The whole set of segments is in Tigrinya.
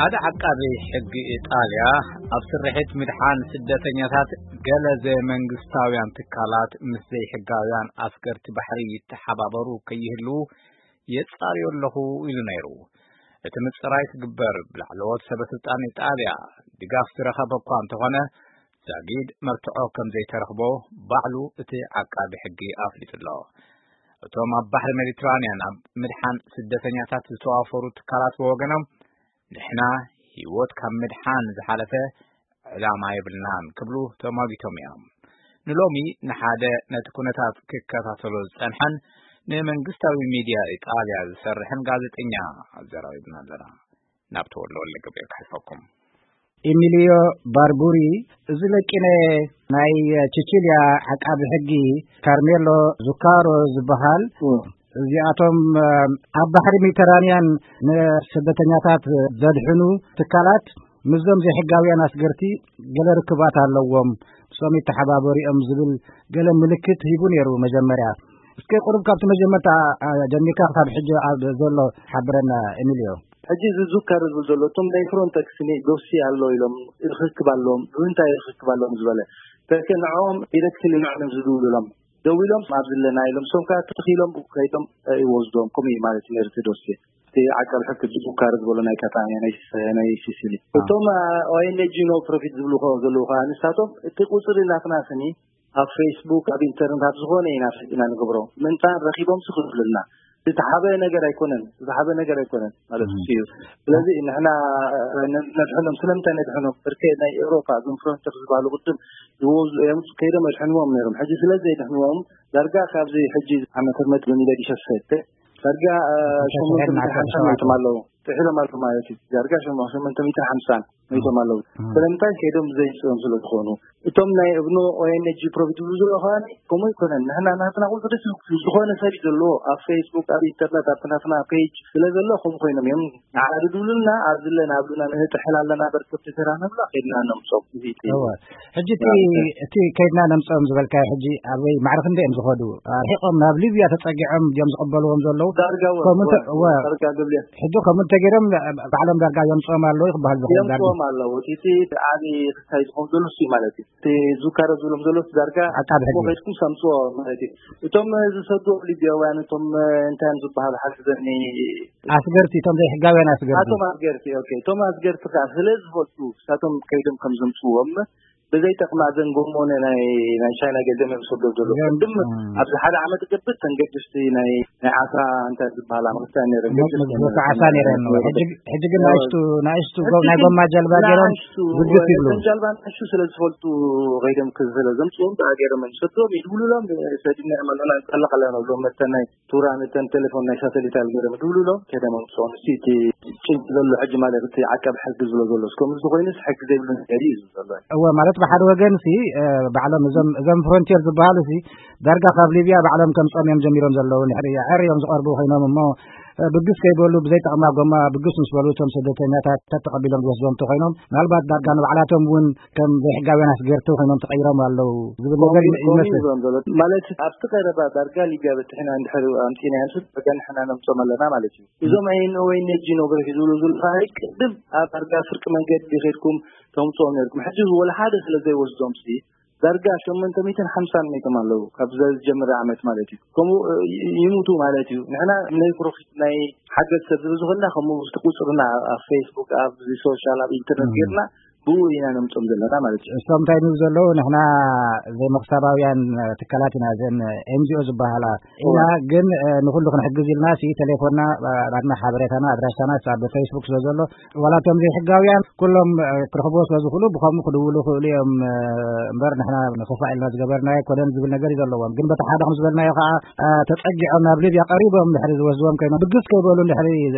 ሓደ ዓቃቢ ሕጊ ኢጣልያ ኣብ ስርሒት ምድሓን ስደተኛታት ገለ ዘይመንግስታውያን ትካላት ምስ ዘይሕጋውያን ኣስገርቲ ባሕሪ ይተሓባበሩ ከይህልዉ የጻርዮ ኣለኹ ኢሉ ነይሩ። እቲ ምጽራይ ክግበር ብላዕለዎት ሰበ ስልጣን ኢጣልያ ድጋፍ ዝረኸበ እኳ እንተኾነ፣ ዛጊድ መርትዖ ከም ዘይተረኽቦ ባዕሉ እቲ ዓቃቢ ሕጊ ኣፍሊጡ ኣሎ። እቶም ኣብ ባሕሪ ሜዲትራንያን ኣብ ምድሓን ስደተኛታት ዝተዋፈሩ ትካላት ብወገኖም፣ ንሕና ህይወት ካብ ምድሓን ዝሓለፈ ዕላማ የብልናን ክብሉ ተማጊቶም እዮም። ንሎሚ ንሓደ ነቲ ኩነታት ክከታተሎ ዝጸንሐን ንመንግስታዊ ሚድያ ኢጣልያ ዝሰርሕን ጋዜጠኛ ኣዘራሪብና ኣለና። ናብ ተወልደ ወልደ ገብርኤል ክሓልፈኩም። ኢሚሊዮ ባርቡሪ፣ እዚ ለቂነ ናይ ቺቺልያ ዓቃቢ ሕጊ ካርሜሎ ዙካሮ ዝበሃል፣ እዚኣቶም ኣብ ባሕሪ ሜዲተራንያን ንስደተኛታት ዘድሕኑ ትካላት ምስዞም ዘይሕጋውያን ኣስገርቲ ገለ ርክባት ኣለዎም፣ ምስኦም ይተሓባበሩ እዮም ዝብል ገለ ምልክት ሂቡ ነይሩ መጀመርያ። እስከ ቁሩብ ካብቲ መጀመርታ ጀሚርካ ክሳብ ሕጂ ኣብ ዘሎ ሓብረና፣ ኤሚልዮ። ሕጂ እዚ ዙካር ዝብል ዘሎ፣ እቶም ናይ ፍሮንተክስ ኒ ዶሲ ኣሎ ኢሎም ርክክብ ኣለዎም። ብምንታይ ርክክብ ኣለዎም ዝበለ፣ ተከ ንዕኦም ዲረክትሊ ንዕኦም ዝድውሉሎም፣ ደዊሎም ኣብ ዝለና ኢሎም፣ ሶም ከኣ ተተኺሎም ከይዶም ይወስዶም። ከምኡ እዩ ማለት እዩ ነቲ ዶሲ። እቲ ዓቃቢ ሕጊ ዙካር ዝበሎ ናይ ካታንያ ናይ፣ ናይ ሲሲሊ። እቶም ኦኤንጂ ኖ ፕሮፊት ዝብሉ ዘለዉ ከኣ ንሳቶም፣ እቲ ቁፅሪ ናትና ስኒ ኣብ ፌስቡክ፣ ኣብ ኢንተርነት፣ ኣብ ዝኾነ ኢና ፈሊጥና ንገብሮ። ምንታን ረኺቦም ስኽፍልና። ዝተሓበ ነገር ኣይኮነን፣ ዝተሓበ ነገር ኣይኮነን ማለት እዩ። ስለዚ ንሕና ነድሕኖም። ስለምንታይ ነድሕኖም? ብርኬ ናይ ኤውሮፓ እዞም ፍሮንተር ዝበሃሉ ቅድም ይወዙ እዮም፣ ከይዶም ኣድሕንዎም ነይሮም። ሕጂ ስለ ዘይድሕንዎም ዳርጋ ካብዚ ሕጂ ዓመተ ምህረት በሚለ ዲሸሰተ ዳርጋ ሸሞንተ ሚእትን ሓምሳን መይቶም ኣለዉ። ጥሒሎም ኣለዉ ማለት እዩ። ዳርጋ ሸሞንተ ሚእትን ሓምሳን መይቶም ኣለዉ። ስለምንታይ? ከይዶም ዘይንፅኦም ስለ ዝኾኑ። እቶም ናይ እብኖ ኦኤንጂ ፕሮፊት ዝብሉ ዘለዉ ከኣ ከምኡ ኣይኮነን። ንሕና ናትና ቁፅሪ ዝኾነ ሰብ እዩ ዘለዎ። ኣብ ፌስቡክ፣ ኣብ ኢንተርነት፣ ኣብ ናትና ፔጅ ስለ ዘሎ ከምኡ ኮይኖም እዮም። ንዓና ድድውሉልና ኣብ ዝለና ኣብሉና ንጥሕል ኣለና። በርከብቲ ተራ ነብላ ከይድና ነምፅኦም። እዚ እቲ እወ። ሕጂ እቲ፣ እቲ ከይድና ነምፅኦም ዝበልካዮ ሕጂ ኣበይ ማዕረ ክንደይ እዮም ዝኸዱ? ኣርሒቖም ናብ ሊብያ ተፀጊዖም ድዮም ዝቕበልዎም ዘለዉ? ዳርጋ እወ፣ ከምኡ እንተ-፣ እወ፣ እወ። ዳርጋ ገብልያ። ሕጂ ከምኡ እንተገይሮም ባዕሎም ዳርጋ የምፅኦም ኣለዉ ክበሃል ዝኽእል ዳርጋ። የምፅኦም ኣለዉ። እቲ፣ እቲ ዓቢ ክሳይ ዝኸውን ዘሎ እሱ እዩ ማለት እዩ። እቲ ዙካሮ ዝብሎም ዘሎ ዳርጋ ዓቃቢ ሕጊ። እሞ ከይድኩም ሰምፅዎ ማለት እዩ። እቶም ዝሰዱ ሊብያውያን፣ እቶም እንታይ እዮም ዝበሃሉ? ሓግዘኒ። ኣስገርቲ፣ እቶም ዘይሕጋውያን ኣስገርቲ። ኣቶም ኣስገርቲ፣ ኦኬ። እቶም ኣስገርቲ ከዓ ስለ ዝፈልጡ፣ እሳቶም ከይዶም ከም ዘምፅዎም፣ ብዘይጠቕማ እዘን ጎሞነ ናይ፣ ናይ ቻይና ገንዘብ እዮም ዝሰዱ ዘለዉ። እዘን፣ ቅድም እም። ኣብዚ ሓደ ዓመት ገብር ተንገድስቲ ናይ፣ ናይ ዓሳ እንታይ ዝበሃላ መኽስታ ነይረን፣ መ-፣ ገድስቲ መ-፣ ነይረን። ዓሳ ነይረን። ሕጂ፣ ሕጂ ግን ያው፣ ንኣሽቱ፣ ንኣሽቱ ጎ-፣ ናይ ጎማ ጀልባ ገይሮም ንኣሽቱ፣ ብግስ ይብሉ። እተን ጀልባ ንኣሽቱ ስለ ዝፈልጡ ከይዶም ክዝለ ዘምፅኦም ብኣ ገይሮም እዮም ዝሰድዎም፣ ይድውሉሎም፣ ሰዲና እዮም ኣለና፣ ንጠልቕ ኣለና ብሎም፣ መተን ናይ ቱራ፣ ነተን ቴሌፎን ናይ ሳተሊት ገይሮም ይድውሉሎም፣ ከይዶም ኣምፅኦም። እስቲ እቲ ጭንቂ ዘሎ ሕጂ ማለት እቲ ዓቃቢ ሕጊ ዝብሎ ዘሎ፣ እስከ ከምዚ ኮይኑስ ሕጊ ዘይብሉ ነገር እዩ ዝብሎ ዘሎ። እወ፣ ማለት ብሓደ ወገን ሲ፣ እ፣ ባዕሎም እዞም፣ እዞም ፍሮንቲር ዝበሃሉ ሲ፣ ዳርጋ ካብ ሊብያ ባዕሎም ከምፅኦም እዮም ጀሚሮም ዘለዉ። ንድሕሪ ኣዕር እዮም ዝቐርቡ ኮይኖም እሞ፣ እ፣ ብግስ ከይበሉ ብዘይጠቕማ ጎማ ብግስ ምስ በሉ እቶም ስደተኛታት ተተቐቢሎም ዝወስድዎም እንተኾይኖም፣ ምናልባት ዳርጋ ንባዕላቶም እውን ከም ዘይሕጋውያን ኣስገርቲ ኮይኖም ተቐይሮም ኣለዉ ዝብል ነገር ከምኡ፣ ይመስል። ከምኡ ይብሎም ዘሎ። ማለት ኣብቲ ቀረባ ዳርጋ ሊብያ በፂሕና እንድሕር ኣምፂእናዮም ዳርጋ ንሕና ነምፅኦም ኣለና ማለት እዩ። እዞም ኣይን ወይ ነጂ ኖግረፊ ዝብሉ ዘለዉ ከዓ ቅድም ኣብ ዳርጋ ፍርቂ መንገዲ ከይድኩም ተምፅኦም ነርኩም። ሕጂ ወላ ሓደ ስለ ዘይወስዶም ሲ ዳርጋ ሸሞንተ ሚእትን ሓምሳን ሞይቶም ኣለዉ። ካብ ዝጀመረ ዓመት ማለት እዩ። ከምኡ፣ እ፣ ይ-፣ ይሙቱ ማለት እዩ። ንሕና ናይ ፕሮፊት ናይ ሓገዝ ሰብ ዝብዝኾና ከምኡ እቲ ቁፅርና ኣብ ፌስቡክ፣ ኣብ ሶሻል፣ ኣብ ኢንተርነት እም። ጌርና ብኡ ኢና ነምፅኦም ዘለና ማለት እዩ። እሶም እንታይ ንብሉ ዘለዉ? ንሕና ዘይመኽሰባውያን ትካላት ኢና፣ እዘን ኤን ጂ ኦ ዝበሃላ ኢና፣ እወ። ግን፣ እ፣ ንኹሉ ክንሕግዝ ኢልና ሲ ቴሌፎንና፣ እ፣ ናትና ሓበሬታና፣ ኣድራሻና ኣብ ፌስቡክ ስለ ዘሎ፣ ዋላ እቶም ዘይሕጋውያን ኩሎም፣ እ፣ ክረኽብዎ ስለ ዝኽእሉ ብኸምኡ ክድውሉ ይኽእሉ እዮም፣ እ፣ እምበር ንሕና ንኽፋእ ኢልና ዝገበርናዮ ኣይኮነን ዝብል ነገር እዩ ዘለዎም። ግን በቲ ሓደ ከም ዝበልናዮ ከዓ፣ እ፣ ተጸጊዖም ናብ ሊብያ ቀሪቦም እንድሕሪ ዝወስድዎም ኮይኖም፣ ብግስ ከይበሉ እንድሕሪ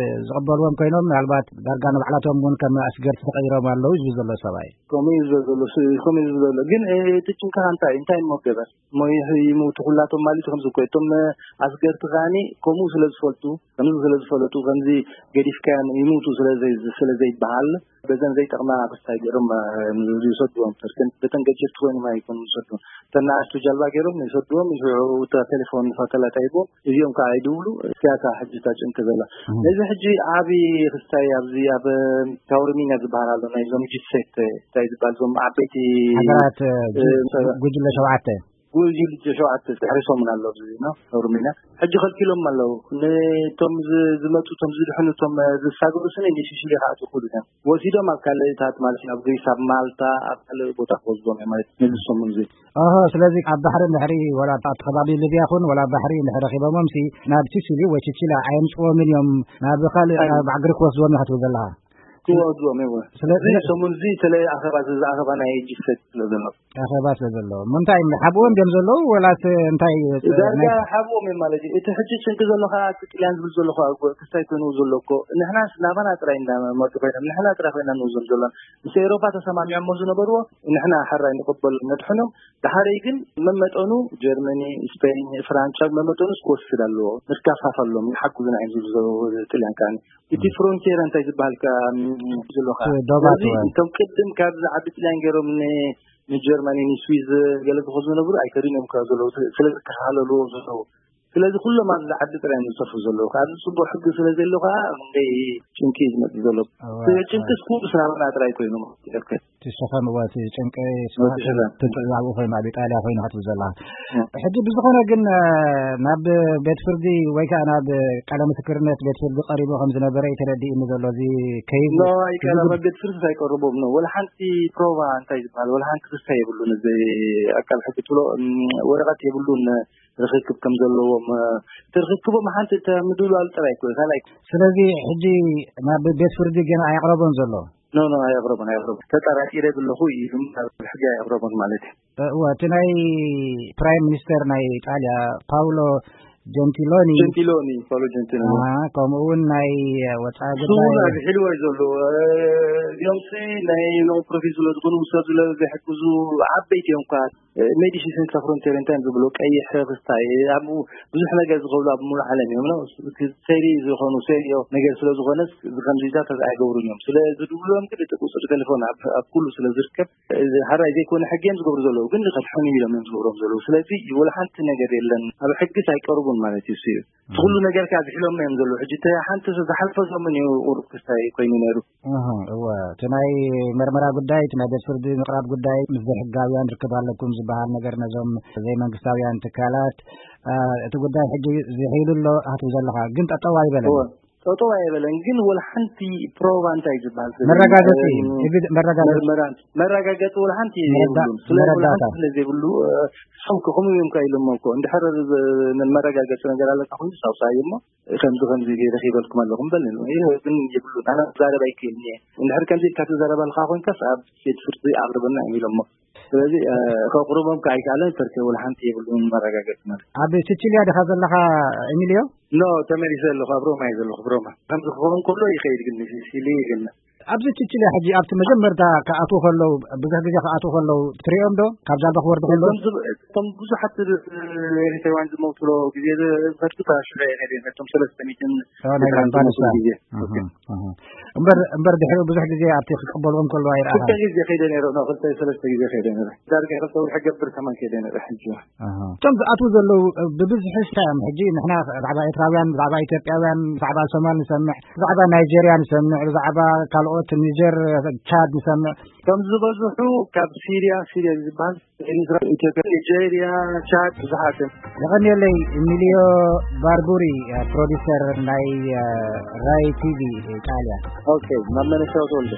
ዝቕበልዎም ኮይኖም፣ ምናልባት ዳርጋ ንባዕላቶም እውን ከም ኣስገርቲ ተቐይሮም ኣለዉ እዩ ዝብል ዘሎ። ሰብኣይ። ከምኡ እዩ ዘሎ፣ ስ-፣ ከምኡ እዩ ዘሎ። ግን፣ እ፣ እቲ ጭንቀኻ እንታይ፣ እንታይ እሞ ገበር? እሞ ይህ-፣ ይሞቱ ኩላቶም ማለት እዩ ከምዚ እኮ። እቶም፣ እ፣ ኣስገርቲ ከኣኒ ከምኡ ስለ ዝፈልጡ፣ ከምዚ ስለ ዝፈለጡ፣ ከምዚ ገዲፍካዮም ይሞቱ ስለ ዘይ-፣ ስለ ዘይበሃል፣ በዘን ዘይጠቕማ ክስታይ ገይሮም፣ እ፣ ይሰድዎም። በተን ገጀፍቲ ኮይኖም ኣይኮኑን ዝሰድዎም። እተን ንኣሽቱ ጃልባ ገይሮም ይሰድዎም፣ ይስዕቡ፣ እታ ቴሌፎን ሳተላይት ኣይቦም፣ እዚኦም ከዓ ኣይድውሉ። እዚኣ ከዓ ሕጂ እታ ጭንቂ ዘላ። እም። ነዚ ሕጂ ዓቢ ክስታይ ኣብዚ ኣብ ታውርሚና ዝበሃል ኣሎ፣ ናይዞም ጂ ሴት እንታይ ዝበሃል፣ እዞም ዓበይቲ ሃገራት፣ እ፣ እ፣ ጉ-፣ ጉጅለ ሸውዓተ። ጉጅለ ሸውዓተ ድሕሪ ሰሙን ኣሎ ኣብዚ፣ ኖ፣ ታውርሚና። ሕጂ ከልኪሎም ኣለዉ። ነቶም ዝ-፣ ዝመጹ፣ እቶም ዝድሕኑ፣ እቶም፣ እ፣ ዝሳገሩ ስኒ ንሽሽሊ ከኣትዉ ይኽእሉ እዮም። ወሲዶም ኣብ ካልእታት ማለት እዩ፣ ኣብ ግሪስ፣ ኣብ ማልታ፣ ኣብ ካልእ ቦታ ክወስዶም እዮም ማለት እዩ፣ ነዚ ሰሙን እዚ። ኦሆ፣ ስለዚ ኣብ ባሕሪ እንድሕሪ፣ ወላ ኣብቲ ከባቢ ሊብያ ይኹን፣ ወላ ኣብ ባሕሪ እንድሕሪ ረኺቦሞምሲ፣ ናብ ሲሲሊ ወይ ቺቺላ ኣየምጽዎምን እዮም፣ ናብ ካልእ፣ ኣይ። ናብ ባዕግሪ ክወስድዎም እዮም ክትብል ዘለኻ። ክወስድዎም እዮም። ስለ-፣ እዚ ስለ-፣ ሰሙን እዚ ስለ ኣኼባ፣ እዚ ኣኼባ ናይ ጂ ሴት ስለ ዘሎ። ኣኼባ ስለ ዘሎ። እሞ እንታይ፣ ሓብኦም ድዮም ዘለዉ፣ ወላስ እንታይ፣ ዳርጋ ናይ ሓብኦም እዮም ማለት እዩ። እቲ ሕጂ ጭንቂ ዘሎ ከዓ፣ እቲ ጥልያን ዝብል ዘሎ ከዓ፣ ክስታይ ኮይኑ ዘሎ እኮ፣ ንሕናስ ናባና ጥራይ እንዳመጡ ኮይኖም፣ ንሕና ጥራይ ኮይና ንወስዶም ዘለና። ምስ ኤውሮፓ ተሰማሚዖሞ ዝነበርዎ፣ ንሕና ሕራይ ንቕበል ነድሕኖም። ደሓረይ ግን መመጠኑ ጀርመኒ፣ ስፔን፣ ፍራንቻ መመጠኑ ክወስድ ኣለዎ። ንካፋፈሎም፣ ንሓግዙና እዮም ዝብሉ ዘለዉ ጥልያን ከኣ። እቲ ፍሮንቲየር እንታይ ዝበሃል ከኣ፣ ም፣ ዘሎ ከኣ። እቲ ዶባት ስለዚ ወይ? እቶም ቅድም ካብ ዝዓቢ ጥልያን ገይሮም ን-፣ ንጀርመኒ፣ ንስዊዝ ገለ ዝኸዱ ዝነበሩ ኣይከዱን እዮም ከኣ ዘለዉ። ስለ ዝከታተልዎ ዘለዉ። ስለዚ ኩሎም ኣብዚ ዓዲ ጥራይ እዮም ዝሰፍሩ ዘለዉ። ኣብዚ ጽቡቕ ሕጊ ስለ ዘሎ ከኣ ክንደይ ጭንቂ እዩ ዝመጽእ ዘሎ። እዋ፣ ጭንቅስ እዋ። ኩሉ ስናብና ጥራይ ኮይኑ ይርከብ። እቲ ሸኸም፣ እዋ፣ እቲ ጭንቂ እቲ ሸኸም። ትንትዕ ኣብኡ ኮይኑ፣ ኣብ ኢጣልያ ኮይኑ ክትብል ዘለኻ። እም። ሕጂ ብዝኾነ ግን፣ እ፣ ናብ ቤት ፍርዲ ወይ ከኣ ናብ ቃለ ምስክርነት ቤት ፍርዲ ቀሪቡ ከም ዝነበረ እዩ ተረዲእኒ ዘሎ። እዚ ከይዝ-፣ ኖ፣ እዚ ኣይቀረበ፣ ጉድ-፣ ቤት ፍርዲ ኣይቀርቦም ነው። ወላ ሓንቲ ፕሮቫ እንታይ ዝበሃል፣ ወላ ሓንቲ ክስታይ የብሉን። እዚ ኣቃቢ ሕጊ ትብሎ፣ እም፣ ወረቐት የብሉን። ርኽክብ ከም ዘለዎም፣ እ፣ እቲ ርኽክቦም ሓንቲ እተ ምድላል ጥራይ እኮ እዩ፣ ካልኣይ። ስለዚ ሕጂ ናብ ቤት ፍርዲ ገና ኣየቕረቦን ዘሎ? ኖ፣ ኖ፣ ኣየቕረቦን፣ ኣየቕረቦን። ተጠራጢረ ዘለኹ እዩ፣ ግን ናብ ሕጂ ኣየቕረቦን ማለት እዩ። እ፣ እወ፣ እቲ ናይ ፕራይም ሚኒስተር ናይ ኢጣልያ ፓውሎ ጀንቲሎኒ፣ ጀንቲሎኒ፣ ፓውሎ ጀንቲሎኒ። ኣሃ፣ ከምኡ እውን ናይ ወጻኢ እሱ ጉዳይ እውን ኣብሒልዎ እዩ ዘሎ። እ፣ እዚኦምሲ ናይ ሎንግ ፕሮፊል ስለ ዝኾኑ፣ ሰብ ስለ ዘይሕግዙ፣ ዓበይቲ እዮም እኳ። እ፣ ሜዲሲን ሳንስ ፍሮንቴር እንታይ እዮም ዝብሉ፣ ቀይሕ ክስታይ፣ ኣብኡ ብዙሕ ነገር ዝኸብሉ ኣብ ሙሉእ ዓለም እዮም፣ ነው? ሴሪ ዝኾኑ፣ ሴሪዮ ነገር ስለ ዝኾነስ፣ እዚ ከምዚታት ኣይገብሩን እዮም። ስለ ዝድውሎም ግን እቲ ቁጽሪ ቴሌፎን ኣብ፣ ኣብ ኩሉ ስለ ዝርከብ፣ እዚ ሓራይ ዘይኮነ ሕጊ እዮም ዝገብሩ ዘለዉ፣ ግን ንኸድሕኑ ኢሎም እዮም ዝገብሮም ዘለዉ። ስለዚ ወላ ሓንቲ ነገር የለን፣ ኣብ ሕግስ ኣይቀርቡን ማለት እዩ። እሱ እዩ። እቲ ኩሉ ነገር ከኣ ዝሕሎም እዮም ዘለዉ። ሕጂ እቲ ሓንቲ ዝሓልፈ ሰሙን እዩ ቁሩብ ክስታይ ኮይኑ ነይሩ። እህ፣ እወ። እቲ ናይ መርመራ ጉዳይ፣ እቲ ናይ ቤት ፍርዲ ምቕራብ ጉዳይ፣ ምስ ዘይሕጋውያን ርክብ ኣለኩም ዝበሃል ነገር ነዞም ዘይመንግስታውያን ትካላት፣ እ፣ እቲ ጉዳይ ሕጂ ዝሒሉ ኣሎ ኣትብ ዘለኻ፣ ግን ጠጠው ኣይበለን። እወ። ጠጠው ኣይበለን፣ ግን ወላ ሓንቲ ፕሮቫ እንታይ ዝበሃል ዘሎ? መረጋገጺ፣ እ፣ ኤቪድ-፣ መረጋገጺ። መርመራ፣ መረጋገጺ ወላ ሓንቲ መረዳ-፣ የብሉን። ስለ ወላ መረዳእታ። ሓንቲ ስለ ዘይብሉ፣ እ፣ ንሶም ከ ከምኡ እዮም ከ ኢሎሞ እኮ። እንድሕር ዝ-፣ መረጋገጺ ነገር ኣለካ ኮይኑ ሳውሳይ እሞ፣ ከምዚ ከምዚ ገይረ ኺበልኩም ኣለኹም በል። ይህ ግን የብሉን። ኣነ ክዛረብ ኣይክእልን እየ። እንድሕር ከምዚ ኢልካ ትዛረብ ኣለኻ ኮይንካስ ኣብ ቤት ፍርዲ ኣቕርበና እዮም ኢሎሞ። ስለዚ፣ እ፣ ከቕርቦም ከ ኣይከኣለን፣ ተርከ ወላ ሓንቲ የብሉን መረጋገጺ ማለት። ኣብ ሲቺልያ ዲኻ ዘለኻ ኤሚልዮ? ኖ፣ ተመሊሰ ኣለኹ። ኣብ ሮማ እየ ዘለኹ፣ ኣብ ሮማ። ከምዚ ክኸውን ከሎ ይኸይድ ግን ሲሲሊ ግን ኣብዚ ቺቺልያ ሕጂ ኣብቲ መጀመርታ ክኣትዉ ከለዉ፣ ብዙሕ ግዜ ክኣትዉ ከለዉ ትርእዮም ዶ? ካብ ጃልባ ክወርዱ ከለዉ? እቶም ዝብ-፣ እቶም ብዙሓት ኤሪትራውያን ዝመውትሎ ግዜ ዝኸድኩ እታ ሽዑ እየ ነይረ፣ ነቶም ሰለስተ ሚእትን ኦ፣ ናይ ኤርትራውያን ባልሻ። ዝመውትሉ ግዜ። እህ፣ ኦኬ። እህ። እምበር፣ እምበር ድሕሪኡ ብዙሕ ግዜ ኣብቲ ክቅበልዎም ከለዉ ኣይረኣኻን? ክልተ ግዜ ከይደ ነይረ፣ ኖ፣ ክልተ ሰለስተ ግዜ ከይደ ነይረ። ዳርጋ ክልተ ወርሒ ገብር ከማን ከይደ ነይረ ሕጂ። ኣሃ። እቶም ዝኣትዉ ዘለዉ፣ እ፣ ብብዝሒ እንታይ እዮም? ሕጂ ንሕና ብዛዕባ ኤርትራውያን፣ ብዛዕባ ኢትዮጵያውያን፣ ብዛዕባ ሶማል ንሰምዕ፣ ብዛዕባ ናይጀርያ ንሰምዕ፣ ብዛዕባ ካልኦት ኒጀር፣ ቻድ ንሰምዕ። እቶም ዝበዝሑ ካብ ሲርያ፣ ሲርያ ዝበሃል፣ ኤርትራ፣ ኢትዮጵያ፣ ኒጀርያ፣ ቻድ ብዙሓት እዮም። የቐንየለይ ሚልዮ ባርቡሪ፣ እ፣ ፕሮዲሰር ናይ፣ እ፣ ራይ ቲቪ ኢጣልያ። ኦኬ፣ ናብ መነሻው ተወልደ።